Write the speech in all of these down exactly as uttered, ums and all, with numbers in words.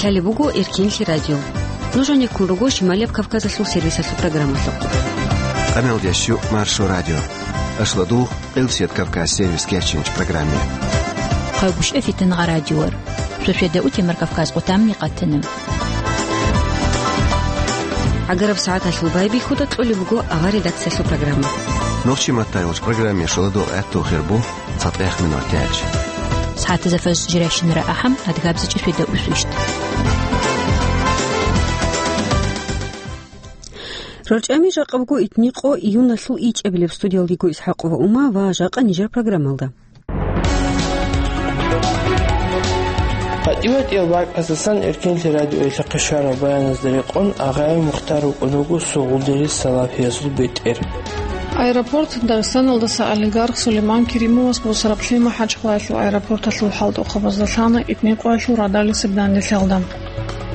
Лъалеб буго Эркенлъи радио. Нуж гьанир ккун руго Шималияб Кавказалъул сервисалъул программалъухъ. Къамелдящу Маршо радио. Ашладугъ, Къилсият Кавказ сервис керчинчи программе. Хъайгушев Фитангъа радиор. Шошеда утемар Кавказ къутамни къатана. ГӀагараб сагӀаталъул байбихьуда кьолеб буго авар редакциялъул программа. Нохчи маттайилч программе шоладугъ гӀатту хирбу. ЦатӀех минут тяч. СагӀатазда фаж жирайщинара ахӀам, адгабзичӀеб шведа усвищ. РорчӀами жакъа буго итни къо июналъул ичӀабилеб. Студиялдего ИсхӀакъова Ума ва жакъа нижер программалда. ГьатӀи-ватӀиял бакӀаздасан Эркенлъи радиоялъухъе щварал баяназда рекъон, Агъаев Мухтар вукӀун вуго Сугъулдерил Салафиязул бетӀер. Аэропорт Дагъистаналдаса олигарх Сулейман Керимовас бусараб Лъимахъ хӀажкъалаялъул аэропорталъул хӀалтӀухъабазда лъана итни къоялъул радалисеб данделъалда.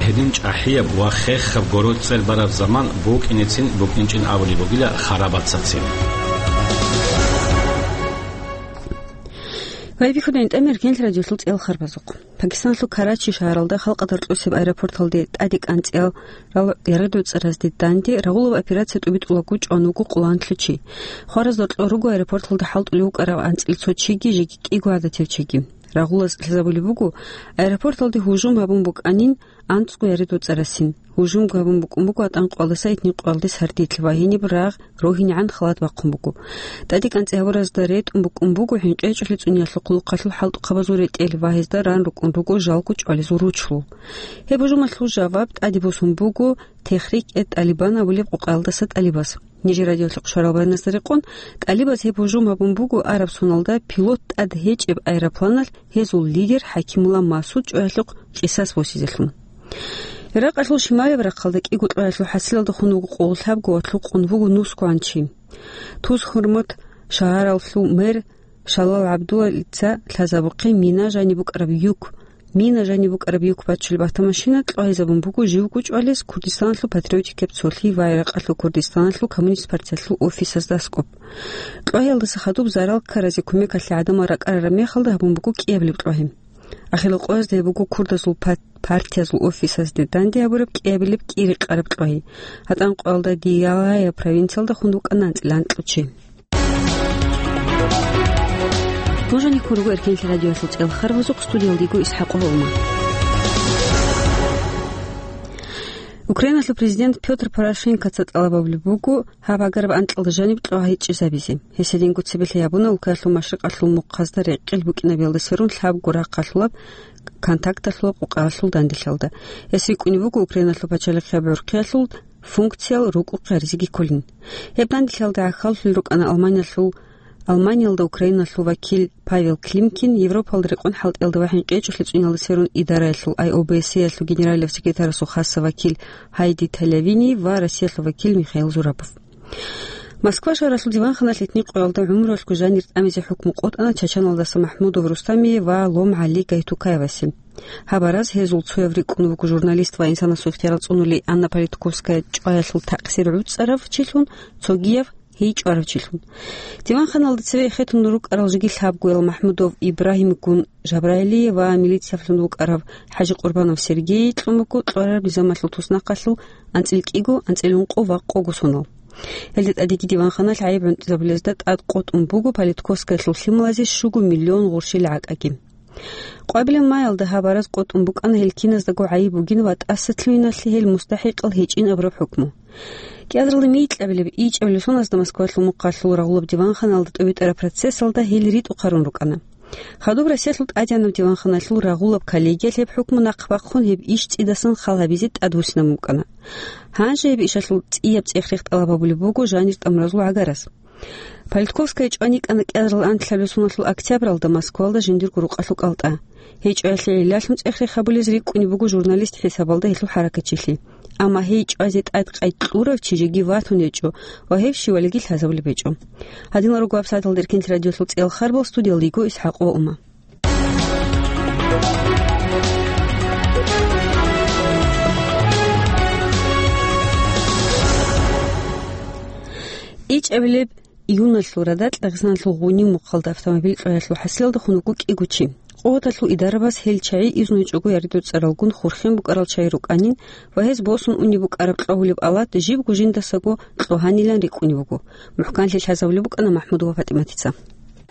Гьедин чӀахӀияб ва хехаб гороцӀел бараб заман букӀинецин букӀинчӀин абулеб бугила харабацацин. Байбихьуда ГьатӀи-ватӀиял Эркенлъи радиоялъул цӀел харбазухъ. Пакистаналъул Карачи шагьаралда халкъалда рокьосеб аэропорталде тӀаде кӀанцӀиялъул яргъи-доцӀаразде данде рагъулаб операция тӀубитӀулаго чӀван вуго къоло анлъго чи. Хваразда рокьор руго аэропорталда хӀалтӀулев вукӀарав анцӀила цо чиги жеги кӀиго гӀадатив чиги. Рагъулаз лъазабулеб буго, аэропорталде гьужум гьабун букӀанин анцӀго яргъи-доцӀарасин. Гьужумго гьабун букӀун буго ГьатӀан къоялдаса итни къоялде сардилъ ва гьениб рагъ рогьинегӀан халат бахъун буго. ТӀаде кӀанцӀи гьабуразда ретӀун букӀун буго ХӀинкъичӀолъи цӀуниялъул хъулухъалъул хӀалтӀухъабазул ретӀел ва гьезда ран рукӀун руго жалго чӀвалезул ручлъул. Гьеб гьужумалъул жаваб тӀаде босун буго Техрик-э-ТӀалибан абулеб къокъаялдаса тӀалибаз. Нижер радиоялъухъ щварал баяназда рекъон, тӀалибаз гьеб гьужум гьабун буго араб соналда пилот тӀад гьечӀеб аэропланалъ гьезул лидер ХӀакимулла Масуд чӀваялъухъ къисас босизелъун. Иракъалъул шималияб рахъалда кӀиго кьоялъул хӀасилалда хун вуго къоло лъабго ва лъукъун вуго нусгоан чи. Тус-Хурмут шагьаралъул мэр Шалал ГӀабдуллица лъазабухъе мина жаниб букӀараб юк, мина жаниб букӀараб юк бачулеб автомашина кьвагьизабун буго живго чӀвалез Курдистаналъул патриотикаб цолъи ва Иракъалъул Курдистаналъул коммунист партиялъул офисазда аскӀоб. Кьвагьиялдаса хадуб зарал ккаразе кумекалъе гӀадамал ракӀарараб мехалда гьабун буго кӀиабилеб кьвагьи. Ахирал къоязда гьеб буго курдазул пат-, партиязул офисазде данде гьабураб кӀиабилеб кӀири-къараб кьвагьи. ГьатӀан къоялда Диялая провинциялда хун вукӀана анцӀила анкьучи. Нуж гьанир ккун руго Эркенлъи радиоялъул цӀел харбазухъ, студиялдего ИсхӀакъова Ума. Украиналъул президент Пётр Порошенкоца тӀалаб гьабулеб буго гьаб гӀагараб анкьалда жаниб кьвагьи чӀезабизе. Гьес гьединго цебелъи гьабуна улкаялъул машрикъалъул мухъазда рекъел букӀинабиялдаса рун лъабго рахъалъулаб контакталъулаб къокъаялъул данделъалда. Гьес рикӀкӀунеб буго Украиналъул пачалихъияб гӀурхъиялъул функциял рукӀухъе гьаризеги кколин. Гьеб данделъалда гӀахьаллъулел рукӀана Алманиялъул, Алманиялда Украиналъул вакил Павел Климкин, Европалда рекъон хӀалтӀиялда ва ХӀинкъичӀолъи цӀуниялдаса рун идараялъул ай о бэ эс е-ялъул генералияб секретарасул хасаб вакил Хайди Талявини ва Россиялъул вакил Михаил Зурабов. Москва шагьаралъул диванханалъ итни къоялда гӀумруялъго жанир тӀамизе хӀукму къотӀана Чачаналдаса МахӀмудов Рустамие ва Лом ГӀали Гайтукаевасе. Гьаб араз гьезул цояв рикӀкӀун вуго журналист ва инсанасул ихтиярал цӀунули Анна Политковская чӀваялъул такъсир гӀуцӀарав чилъун, цогияв гьей чӀварав чилъун. Диванханалда цеве эхетун рукӀарал жеги лъабгоял МахӀмудов Ибрагьимгун Жабраилие ва милициялъун вукӀарав ХӀажи Къурбанов Сергее кьун буго кьвараб низамалъул туснахъалъул анцӀила кӀиго, анцӀила ункъо ва къого сонал. Гьелда тӀадеги диванханалъ гӀайиб гӀунтӀизабулезда тӀад къотӀун буго Политковскаялъул лъималазе щуго миллион гъурщил гӀакӀаги. Къвабилеб маялда гьаб араз къотӀун букӀана гьел киназдаго гӀайиб бугин ва тӀасалъугьиналъе гьел мустахӀикъал гьечӀин абураб хӀукму. КӀиазаралда микьабилеб ичӀабилеб соназда Москвалъул мухъалъул рагъулаб диванханалда тӀубитӀараб процессалда гьел ритӀухъарун рукӀана. Хадуб Россиялъул тӀадегӀанаб диванханалъул рагъулаб коллегиялъ гьеб хӀукму нахъ бахъун гьеб иш цӀидасан халабизе тӀадвуссинабун букӀана. Гьанже гьеб ишалъул цӀияб цӀех-рех тӀалаб гьабулеб буго жанир тӀамуразул гӀагарас. Политковская чӀван йикӀана кӀиазарал анлъабилеб соналъул октябралда Москвалда жиндирго рукъалъул кӀалтӀа. Гьей чӀваялъе гӀиллалъун цӀех-рех гьабулез рикӀкӀунеб буго журналист хӀисабалда гьелъул хӀаракатчилъи. Амма гьей чӀвазе тӀад къайд кьурав чи жеги ватун гьечӀо ва гьев щивалиги лъазабулеб гьечӀо. Гьадинал руго гьаб сагӀаталда Эркенлъи радиоялъул цӀел харбал, студиялда йиго ИсхӀакъова Ума. ИчӀабилеб июналъул радакь Дагъистаналъул Гъунив мухъалда автомобиль кьвагьиялъул хӀасилалда хун вуго кӀиго чи. Къуваталъул идарабаз гьел чагӀи изну гьечӀого яридуцӀаралгун хурхен букӀарал чагӀи рукӀанин ва гьез босун унеб букӀараб кьогьулеб алат жибго жиндасаго кьогьанилан рикӀкӀунеб буго. МухӀканлъи лъазабулеб букӀана МахӀмуд ва ПатӀиматица.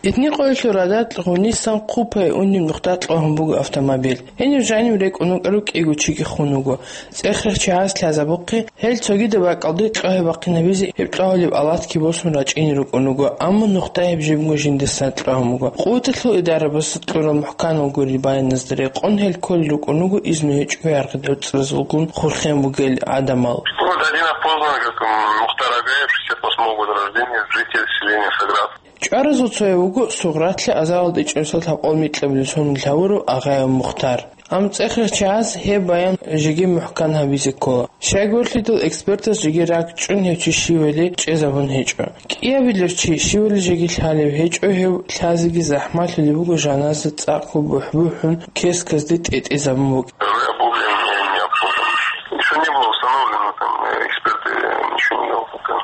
Этни къоялъул радал гъунисан хъупай унеб нухда кьогьун буго автомобиль. Гьенив жанив рекӀун вукӀарав кӀиго чиги хун вуго. ЦӀех-рех чагӀаз лъазабухъе, гьел цогидаб бакӀалде кьогьа-бахъинабизе гьеб кьогьулеб алатги босун рачӀине рукӀун вуго, амма нухда гьеб жибго жиндасан кьогьун буго. Къуваталъул идарабаз кьурал мухӀканал гурел баяназда рекъон гьел кколел рукӀун вуго изну гьечӀого яргъи доцӀразулгун хурхен бугел гӀадамал. Вот один опознан, как, м, Мухтар Агаев, шестьдесят восьмого года рождения, житель селения Саград. ЧӀваразул цояв вуго Сугъратлъи азаралда ичӀнусал лъабкъоялда микьабилеб сонил гьавурав Агъаев Мухтар. Амма цӀех-рех чагӀаз гьеб баян жеги мухӀкан гьабизе ккола. Щайгурлъидал экспертаз жеги ракӀчӀун гьев чи щивали чӀезабун гьечӀо. КӀиабилев чи щивали жеги лъалев гьечӀо, гьев лъазеги захӀмалъулеб буго, жаназа цӀакъго бухӀ-бухӀун кесказде тӀетӀезабун буго. Уже обуглен и не обслужен. Ещё не было установлено, там, э, эксперты, э, ничего не делал пока.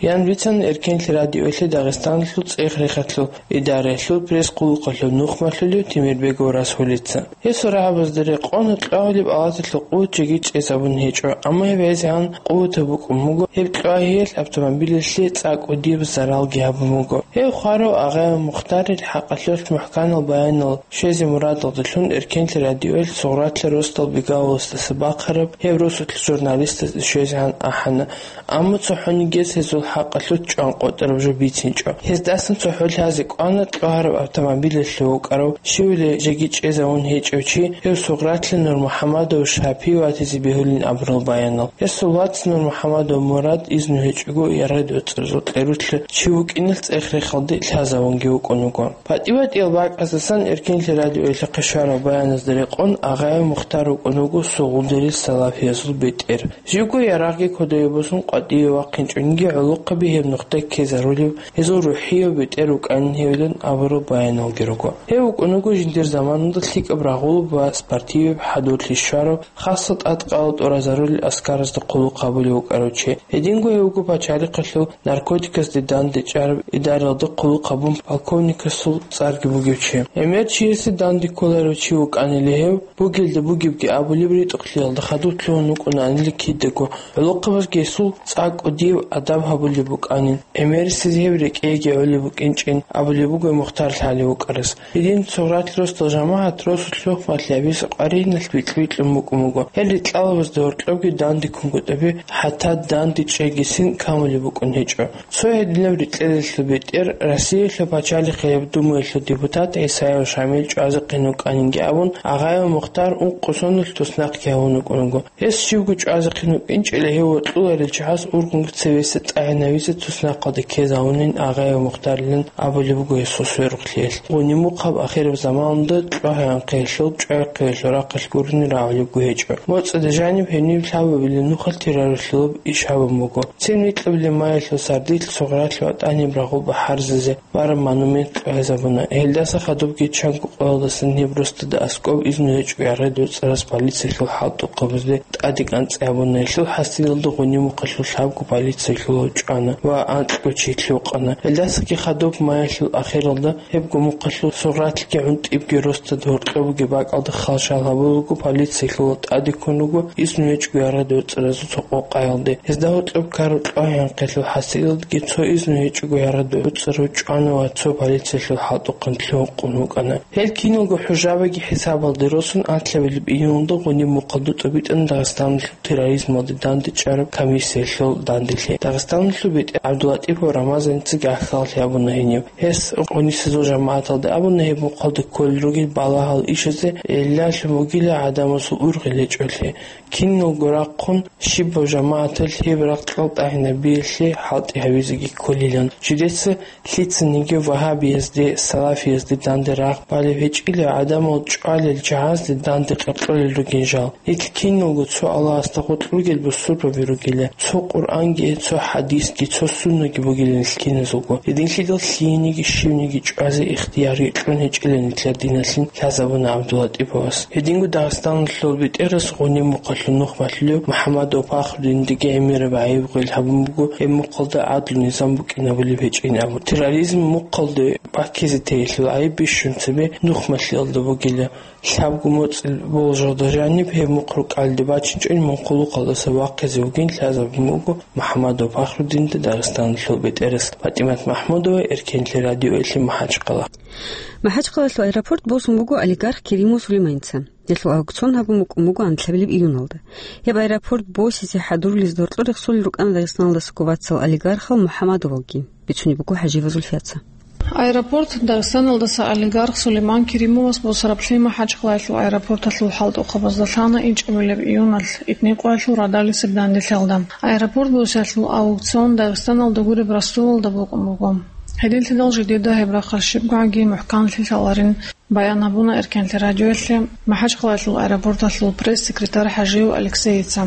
Ян бицана Эркенлъи радиоялъе Дагъистаналъул цӀех-рехалъул идараялъул пресс-хъулухъалъул нухмалъулев Темирбегов Расулица. Гьесул рагӀабазда рекъон кьогьулеб алаталъул къуват жеги чӀезабун гьечӀо, амма гьеб гӀезегӀан къуватаб букӀун буго, гьеб кьогьиялъ автомобилалъе цӀакъго диб заралги гьабун буго. Гьев хварав Агъаев Мухтарил хӀакъалъулъ мухӀканал баянал щвезе мурадалдалъун Эркенлъи радиоялъ Сугъратлъи росдал Бегавуласдаса бахъараб гьеб росулъ журналистазда щвезегӀан ахӀана. Амма цохӀонигияс гьезул хӀакъалъулъ чӀванкъотӀараб жо бицинчӀо. Гьездасан цохӀо лъазе кӀвана кьогьараб автомобилалъув вукӀарав, щивали жеги чӀезавун гьечӀев чи, гьев Сугъратлъи Нурмухьамадов Шапи ватизе бегьулин абурал баянал. Гьесул вац Нурмухьамадов Мурад изну гьечӀого яргъи доцӀразул кьеруялъ чи вукӀиналъ цӀех-рехалде лъазавунги вукӀун вуго. ПатӀи-батӀиял бакӀаздасан Эркенлъи радиоялъухъе щвараб баяназда рекъон Агъаев Мухтар вукӀун вуго Сугъулдерил салафиязул бетӀер. Живго ярагъги кодове босун къватӀиве вахъинчӀониги гӀолохъаби гьеб нухда ккезарулев, гьезул рухӀияв бетӀер вукӀанин гьевилан абурал баяналги руго. Гьев вукӀун вуго жиндир заманалда лъикӀаб рагъулаб ва спортиваб хӀадурлъи щварав, хасго тӀадкъала тӀуразарулел аскаразда хъулухъ гьабулев вукӀарав чи. Гьединго гьев вуго пачалихъалъул наркотиказде дандечӀараб идараялда хъулухъ гьабун полковникасул цӀарги бугев чи. ГӀемер чиясе данде кколарев чи вукӀанила гьев, бугелда бугебги абулеб ритӀухълъиялда хадуб лъугьун вукӀунаанила кидаго, гӀолохъабазги гьесул цӀакъго диб адаб гьабулеб букӀанин, гӀемерисез гьев рекӀеги гӀолеб букӀинчӀин абулеб буго Мухтар лъалев вукӀарас. Гьедин Сугъратлъи росдал жамагӀат росулъ нухмалъи гьабизе къвариналъ бикьи-бикьун букӀун буго. Гьел ритӀкӀалабазда гьоркьобги данде ккунгутӀаби, хӀатта данде чӀегисин камулеб букӀун гьечӀо. Цо гьединаб рикьелалъул бетӀер Россиялъул пачалихъияб Думаялъул депутат ГӀисаев Шамил чӀвазехъин вукӀанинги абун, Агъаев Мухтар ункъо соналъ туснахъги гьавун вукӀун вуго. Гьес щивго чӀвазехъин вукӀинчӀила гьев вокьуларел чагӀаз ургъунго цевеса тӀагӀинавизе туснахъалде ккезавунин Агъаев Мухтарилан абулеб буго гьесул сверухълъиялъ. Гъуниб-мухъаб ахираб заманалда кьогьа-анхъиялъул, чӀвай-хъвиялъул рахъалъ гурони рагӀулебго гьечӀо. МоцӀида жаниб гьенив лъабабилеб нухалъ терроралъулаб иш гьабун буго. Цин микьабилеб маялъул сардилъ Сугъратлъи ватӀаниб рагъул бахӀарзазе бараб монумент кьогьезабуна. Гьелдаса хадубги чанго къоялдасан гьеб росдада аскӀоб изну гьечӀого яргъи доцӀарас полициялъул хӀалтӀухъабазде тӀаде кӀанцӀи гьабуна. Гьелъул хӀасилалда Гъуниб-мухъалъул лъабго полициялъулав чӀвана ва анкьго чи лъугьана. Гьелдасаги хадуб маялъул ахиралда гьебго мухъалъул Сугъратлъиги ГӀунтӀибги росдада гьоркьоб бугеб бакӀалда халжал гьабулелго полициялъулал тӀаде ккун руго изну гьечӀого яргъи доцӀаразул цо къокъаялде. Гьезда гьоркьоб ккараб кьогьа-анхъиялъул хӀасилалдаги цо изну гьечӀого яргъи доцӀарав чӀвана ва цо полициялъул хӀалтӀухъан лъугьун-къун вукӀана. Гьел киналго хӀужабаги хӀисабалде росун анлъабилеб июньалда Гъуниб-мухъалда тӀубитӀана Дагъистаналъул терроризмалде дандечӀараб комиссиялъул данделъи. Дагъистаналъул бетӀер ГӀабдулатӀипов Рамазаница гӀахьаллъи гьабуна гьенив. Гьес гъунисезул жамагӀаталда абуна гьеб мухъалда кколел ругел балагьал ишазе гӀиллалъун бугила гӀадамазул ургъел гьечӀолъи. Киналго рахъун щибаб жамагӀаталъ гьеб рагъ-кьал тӀагӀинабиялъе хӀалтӀи гьабизеги кколилан. Жидеца лъицаниги вагьабиязде, салафиязде данде рагъ балеб гьечӀила гӀадамал чӀвалел чагӀазде данде къеркьолел ругин жал. Нилъ киналго цо Аллагьасда гъоркь ругел бусурбаби ругила, цо Къуръанги, цо хӀадис Цо суннаги бугилан киназулго. Гьединлъидал лъиениги щивниги чӀвазе ихтияр кьун гьечӀилан нилъер диналъин лъазабуна ГӀабдуллатӀиповас. Гьединго Дагъистаналъул бетӀерас гъуниб мухъалъул нухмалъулев МухӀаммадов Пахрудиндеги гӀемераб гӀайиб гъел гьабун буго, гьеб мухъалда гӀадлу-низам букӀинабулеб гьечӀин абун. Терроризм мухъалде баккизе теялъул гӀайиб бищун цебе нухмалъиялда бугила. Лъабго моцӀил болжалда жаниб гьеб мухъ рукӀалде бачинчӀони мунхъулухъалдаса вахъизе вугин лъазабун буго МухӀаммадов Пахрудинда Дагъистаналъул бетӀерас. ПатӀимат МахӀмудова, Эркенлъи радиоялъе, МахӀачхъала. МахӀачхъалалъул аэропорт босун буго олигарх Керимов Сулейманца. Гьелъул аукцион гьабун букӀун буго анлъабилеб июналда. Гьеб аэропорт босизе хӀадурулезда гьоркьор рехсолел рукӀана Дагъистаналдасаго вацал олигархал МухӀаммадовалги. Бицунеб буго ХӀажиева Зульфияца. Аэропорт Дагъистаналдаса олигарх Сулейман Керимовас босараблъи МахӀачхъалаялъул аэропорталъул хӀалтӀухъабазда лъана ичӀабилеб июналъ итникъоялъул радалисеб данделъалда. Аэропорт босиялъул аукцион Дагъистаналда гуреб Ростовалда букӀун буго. Гьединлъидал жидеда гьеб рахъалъ щибгоги мухӀканлъи лъаларин баян гьабуна Эркенлъи радиоялъе МахӀачхъалаялъул аэропорталъул пресс-секретарь ХӀажиев Алексеица.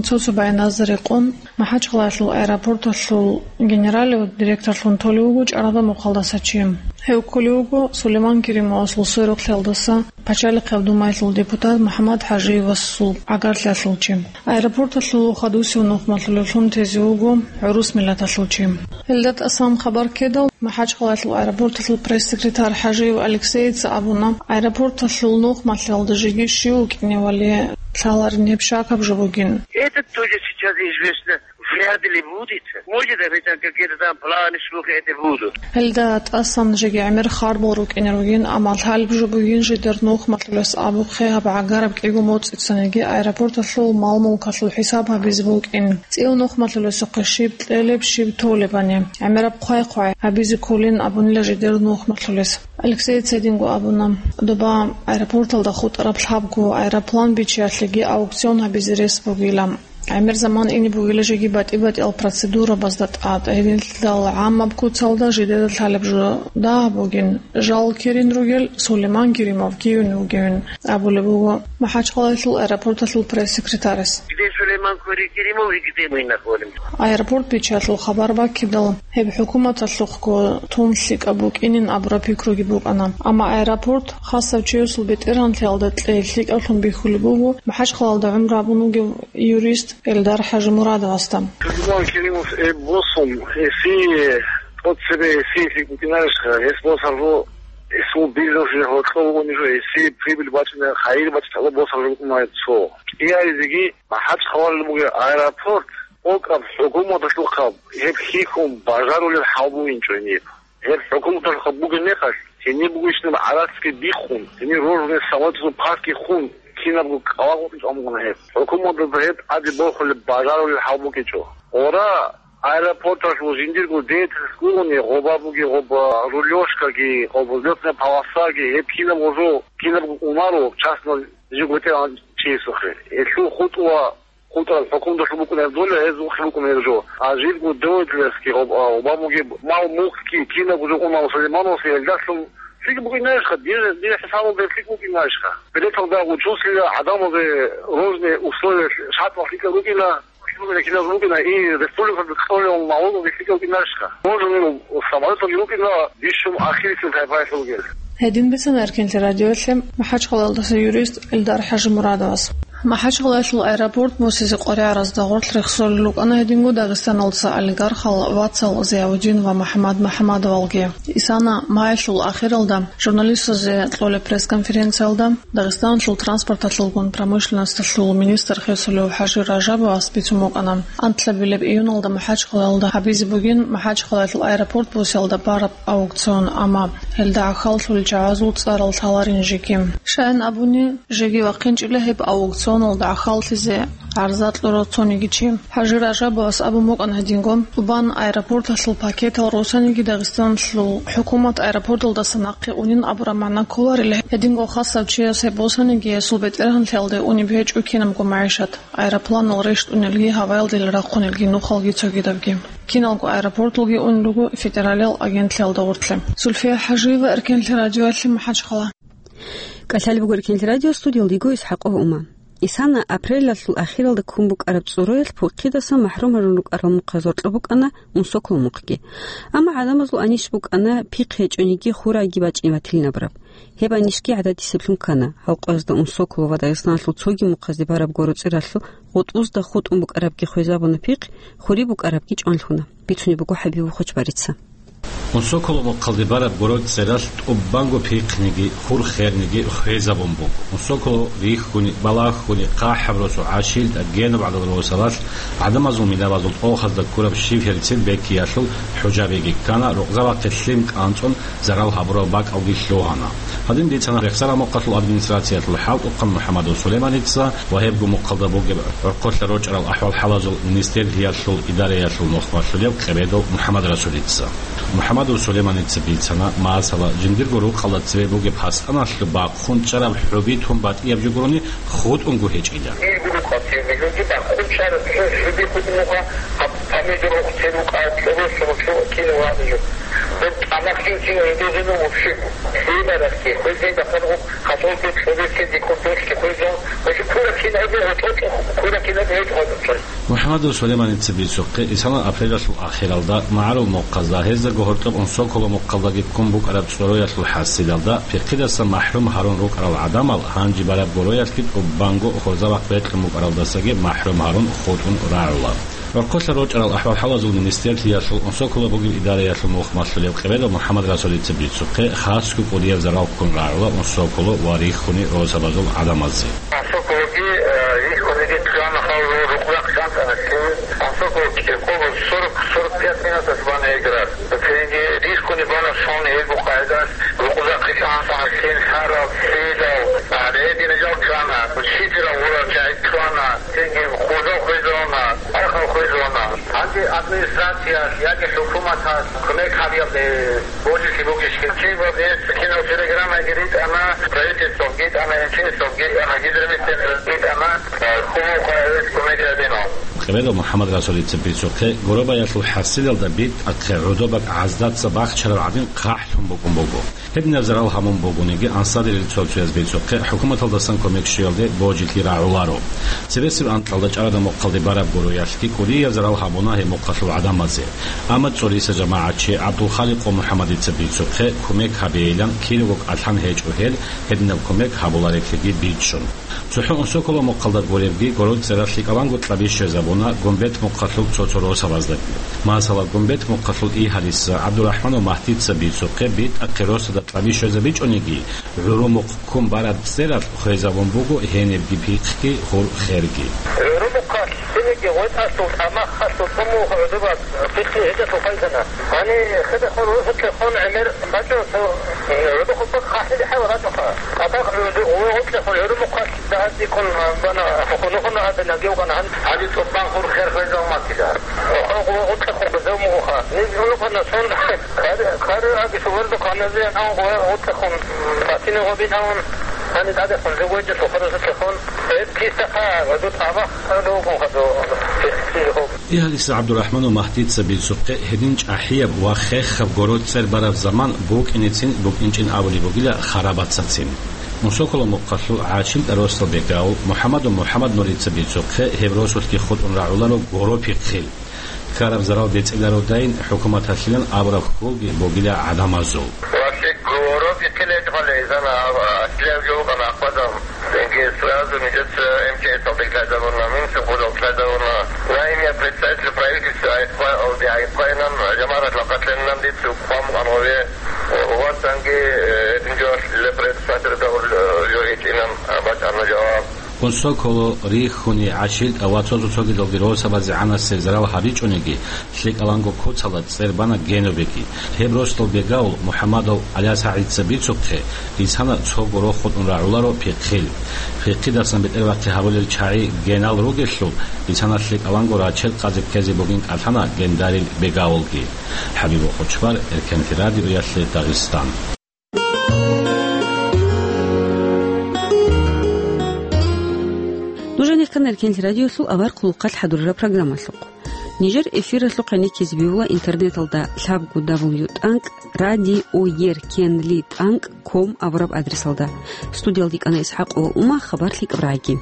Цо-цо баяназда рекъон, МахӀачхъалаялъул аэропорталъул генералив директорлъун толев вуго чӀарада мухъалдаса чи. Гьев кколев вуго Сулейман Керимовасул сверухълъиялдаса Пачалихъ Думаялъул депутат МухӀаммад ХӀажиевасул гӀагарлъиялъул чи. Аэропорталъул хадусев нухмалъулевлъун тезе вуго гӀурус миллаталъул чи. Гьелда тӀасан хабар ккедал, МахӀачхъалаялъул аэропорталъул пресс-секретарь ХӀажиев Алексеица абуна, аэропорталъул нухмалъиялда жеги щив вукӀиневали лъаларин гьеб щакаб жо бугин. Это тоже сейчас известно вряд ли будет. Может, обещать какие-то там планы, слухи это будут. Гьелда тӀасан жеги гӀемер харбал рукӀине ругин, амма лъалеб жо бугин жидер нухмалъулес абухъе гьаб гӀагараб кӀиго моцӀицаниги аэропорталъул мал-мулкалъул хӀисаб гьабизе букӀин. ЦӀив нухмалъулесухъе щиб кьелеб, щиб толебани, гӀемераб хъвай-хъвай гьабизе кколин абунила жидер нухмалъулес. Алексей цединго абуна, доба аэропорталда хутӀараб лъабго аэроплан бичиялъеги аукцион гьабизе рес бугила. ГӀемер заман ине бугила жеги батӀи-батӀиял процедурабазда тӀад, гьединлъидал гӀамаб куцалда жидеда лъалеб жо дагь бугин, жал кирин ругел Сулейман Керимов кивин вугевин, абулеб буго МахӀачхъалаялъул аэропорталъул пресс-секретарас. Где Сулейман Кури-, Керимов и где мы находимся? Аэропорт бичиялъул хабар баккидал, гьеб хӀукуматалъухъго тун лъикӀаб букӀинин абураб пикруги букӀана. Амма аэропорт хасав чиясул бетӀергьанлъиялда кьей лъикӀаблъун бихьулеб буго МахӀачхъалаялда гӀумру гьабун вугев юрист Эльдар ХӀажимурадовасда. Сулейман Керимов гьеб босун, гьесие тӀоцебе гьесие лъикӀ букӀинарищха, гьес босарго, гьесул бизнес гьоркьов вугони жо, гьесие прибыль бачӀина, хайир бачӀина босарго букӀунаро цо. КӀиязеги МахӀачхъалаялда бугеб аэропорт, тӀокӀаб хӀукуматалъухъаб гьеб хьихьун бажарулел хӀал бугинчӀо гьениб. Гьеб хӀукуматалъухъаб бугеб мехалъ, гьениб бугищинаб гӀарацги биххун, гьенир рожный самолетазул паркги хун, кинабго кӀалагъоркьичӀо амгъуна гьеб. ХӀукуматалда гьеб тӀаде борхулеб бажарулел хӀал букӀинчӀо. Ора, аэропорталъул жиндирго деятельность бугони, гъоба бугеб, гъоба рулежкаги, гъоба взлётная полосаги, гьеб кинабго жо, кинабго унаро, частно жив бетӀергьан чиясухъе. Гьелъул хутӀула хутӀарал хӀукуматалъул букӀунеб доля, гьезухъе букӀунеб жо. А жидерго деятельностьги, гъоб-, а, гъоба бугеб мал-мулкги кинабго жо уна Сулеймановасул, гьелдалъун лъикӀ букӀинарищха, дир, дир хӀисабалда лъикӀ букӀинарищха. Билеталда учуллъила гӀадамазе рожный условия шартӀал лъикӀал рукӀина, кинаб рукӀина, и республикалда кьолеб налогги лъикӀал рукӀинарищха. Рожный самолеталги рукӀина, бищун ахирисел тайпаялъул ругел. Гьедин бицана Эркенлъи радиоялъе МахӀачхъалаялдаса юрист Эльдар ХӀажимурадовас. МахӀачхъалаялъул аэропорт босизе къваригӀаразда гъорлъ рехсолел рукӀана гьединго Дагъистаналдаса олигархал вацал Зиявудин ва МухӀаммад МухӀаммадовалги. Исана маялъул ахиралда журналистазе кьолеб пресс-конференциялда Дагъистаналъул транспорталъулгун промышленносталъул министр хисулев ХӀажи Ражабовас бицун букӀана, анлъабилеб июналда МахӀачхъалаялда гьабизе бугин МахӀачхъалаялъул аэропорт босиялда бараб аукцион, амма гьелда гӀахьаллъулел чагӀазул цӀарал лъаларин жеги. Щайин абуни, жеги вахъинчӀила гьеб аукционалда гӀахьаллъизе гӀарза кьурав цониги чи. ХӀажи Ражабовас абун букӀана гьединго, тӀубан аэропорталъул пакетал росаниги Дагъистаналъул хӀукумат аэропорталдаса нахъе унин абураб магӀна кколарила, гьединго хасав чияс гьеб босаниги гьесул бетӀергьанлъиялде унеб гьечӀо кинабго магӀишат, аэропланал рещтӀунелги, гьаваялдел рахъунелги нухалги цогидабги. Киналго аэропорталги унел руго федералиял агентлъиялда гъорлъе. Зульфия ХӀажиева, Эркенлъи радиоялъе, МахӀачхъала. КӀалъалеб буго Эркенлъи радио, студиялда йиго ИсхӀакъов Ума. Исана апрелалъул ахиралда ккун букӀараб цӀуроялъ пихъидасан махӀрум гьарун рукӀарал мухъаз гьоркьоб букӀана Унсоколо мухъги. Амма гӀадамазул анищ букӀана, пихъ гьечӀониги хураги бачӀин батилин абураб. Гьеб анищги гӀадатисеблъун ккана. Гьал къоязда Унсоколо ва Дагъистаналъул цоги мухъазде бараб гуро цӀералъул гъутӀбузда хутӀун букӀарабги хвезабуна пихъ, хуриб букӀарабги чӀванлъуна. Бицунеб буго ХӀабиб Хучбарица. Унсоколо мухъалде бараб гуро цӀералъ тӀубанго пихъниги, хур херниги хвезабун буго. Унсоколо рихьуни, балагьуни, хъахӀаб росу, гӀашилтӀа, генаб гӀадал росалъ, гӀадамазул минабазул тӀохазда ккураб шиферцин бекиялъул хӀужабиги ккана, рукъзабахъе лъим кӀанцӀун зарал гьабурал бакӀалги лъугьана. Гьадин бицана Рехсара мухъалъул администрациялъул хӀалтӀухъан МухӀамадов Сулейманица ва гьебго мухъалда бугеб гӀорхъолъа рочӀарал ахӀвал-хӀалазул министрлъиялъул идараялъул мухъмалъулев Къебедов МухӀамадрасулица. МухӀамадов Сулейманица бицана, масала, жиндирго рукъалда цебе бугеб хӀасаналъуб бахъун чӀараб хӀуби тун батӀияб жо гурони, хутӀунго гьечӀила. Иргу рукъалъе мегьуги бахъун чӀараб хӀу-, хӀуби хутӀун муха, гьаб помидор ухтел рукъа, кӀоросун чӀо кино вагӀи жо. Гьеб тӀамахъин кино гьедезено вообще. Хебарахъе, хвезен дахъал гъуб, хасолги кьобеке декор дошки хвезон, ва жо кура кино гьедего, тӀо-, тӀо-, кура кино гьедего. МухӀамадов Сулейманица бицухъе, исана апрелалъул ахиралда, магӀарул мухъазда, гьездаго гьоркьоб Унсоколо мухъалдаги ккун букӀараб цӀуроялъул хӀасилалда, пихъидаса махӀрум гьарун рукӀарал гӀадамал гьанже бараб гуроялъги тӀубанго хурзабахъ бекьун букӀаралдасаги махӀрум гьарун хутӀун рагӀула. ГӀорхъолъа рочӀарал ахӀвал-хӀалазул министрлъиялъул Унсоколо бугеб идараялъул мухъмалъулев Къебедов МухӀамадрасулица бицухъе, хасго кӀудияб зарал ккун рагӀула Унсоколо ва рихьуни росабазул гӀадамазе. Унсокологи, э, их кулиги ккана хал рукъзахъ шантӀана лъим. Унсоколо кӀикъого сорок, сорок пять минутас бана играр. Цинги рихьуни бана сон гьелбу къайдас рукъзахъ шантӀана лъим, сарал, сидал, а, редина жал ккана. Учителал урал жай ккана. Цинги хурзал хвезона, архал хвезона. Гьанже администрация яги хӀукуматас кумек гьабиялде божилъи бугищ? Чи ва бес кинал телеграммаги ритӀана, правительствоги тӀана, МЧСовги тӀана, гидромедцентрги тӀана, хьулухъа гьес кумек гьабина. Къебедов МухӀамадрасулица бицухъе, гурабаялъул хӀасилалда битӀахъе гӀодобаг гӀаздаца бахчараб гӀадин хъахӀлъун букӀун буго. Гьединаб зарал гьабун бугониги, ансарилел цо-цояз бицухъе, хӀукуматалдасан кумек щвеялде божилъи рагӀуларо. Цебесеб анкьалда чӀарада мухъалде бараб гуроялъги кӀудияб зарал гьабуна гьеб мухъалъул гӀадамазе. Амма цӀориса жамагӀатчи ГӀабдулхаликъ МухӀамадица бицухъе, кумек гьабейилан киного кӀалъан гьечӀо гьел, гьединаб кумек гьабулареблъиги бичӀчӀун. ЦохӀо Унсоколо мухъалда гуребги, гуро цӀералъ лъикӀаланго кьаби щвезабуна Гумбет мухъалъул цо-цо росабаздаги. Масала, Гумбет мухъалъул Игьалиса, ГӀабдурахӀманов Магьдица бицухъе, битӀахъе росада кьаби щвезабичӀониги, гӀурумухъ ккун бараб цӀералъ хвезабун буго гьенибги пихъги, хур херги. ГӀурумухъалъ цинги гъветӀалъул, тӀамахалъул цӀумугъ гӀодобаг пихъги гьечӀелъул хвезана. Гьаниб хидехун росулъехун гӀемер бачӀун цо, гӀодохъуб хъахӀлъи хӀала рачӀунха. Атахъ гъугъутлъехун гӀурумухъалъ дагьаб бикъун бана, хӀухунухъун гьабе нагивгъана гьан. Гьаниб цӀукъан хур хер хвезал маккила. Гъугъутлъехун гузев мугъуха. Ниж гьунухъана сон кар-, кар аги сугъердухъ гьаназеян гьан гъугъутлъехун батине гъобин гьавун. Гьаниб тӀадехун жугойчӀелъул хурусулъехун. Гьеб кисахъа гьадур тӀамах гьадугун хадур. Игьалиса ГӀабдурахӀманов Магьдица бицухъе, гьедин чӀахӀияб ва хехаб гуро цӀер бараб заман букӀиницин букӀинчӀин абулеб бугила харабацацин. Унсоколо мухъалъул ГӀачил росдал бегавул МухӀаммадов МухӀаммаднурица бицухъе, гьеб росулъги хутӀун рагӀуларо гуро пихъил. Ккараб зарал бецӀилародайин хӀукуматалъилан абураб хьулги бугила гӀадамазул. Ва лъикӀ гуро пихъил гьечӀолей, зана, а, аслияб жо букӀана ахвазаб. Цинги сразу нижеца МЧС-алде лъазабуна, Минсовхозалде лъазабуна. Наиб представитель правительства Айхва-, Алди Айхвайнан, жамагӀаталъ къатлъенилан дица цӀукъ хъван букӀан гъове. Ва цинги, э, гьедин жо представитель гьавурав жо гьечӀинан бачӀана жаваб. Унсоколо, Рихьуни, ГӀачил ва цо-цо цогидалги росабазе гӀанасеб зарал гьабичӀониги, лъикӀаланго куцалда цӀер бана генобеги. Гьеб росдал бегавул МухӀаммадов ГӀалиясагӀидица бицухъе, исана цо гуро хутӀун рагӀуларо пихъил. Пихъидасан бетӀервахъи гьабулел чагӀи генал ругелъул, исана лъикӀаланго рачел къазе ккезе бугин кӀалъана гендарил бегавулги. ХӀабибул Хучбар, Эркенлъи радиоялъе Дагъистан. Нуж гьанихъан Эркенлъи радиолъул авар хъулухъалъ хӀадурараб программалъухъ. Нижер эфиралъухъ гӀенеккизе бегьула интернеталда лъабго дабл ю тӀанкӀ радиоеркенли тӀанкӀ ком абураб адресалда. Студиялда йикӀана ИсхӀакъова Ума, хабар лъикӀаб рагӀиги.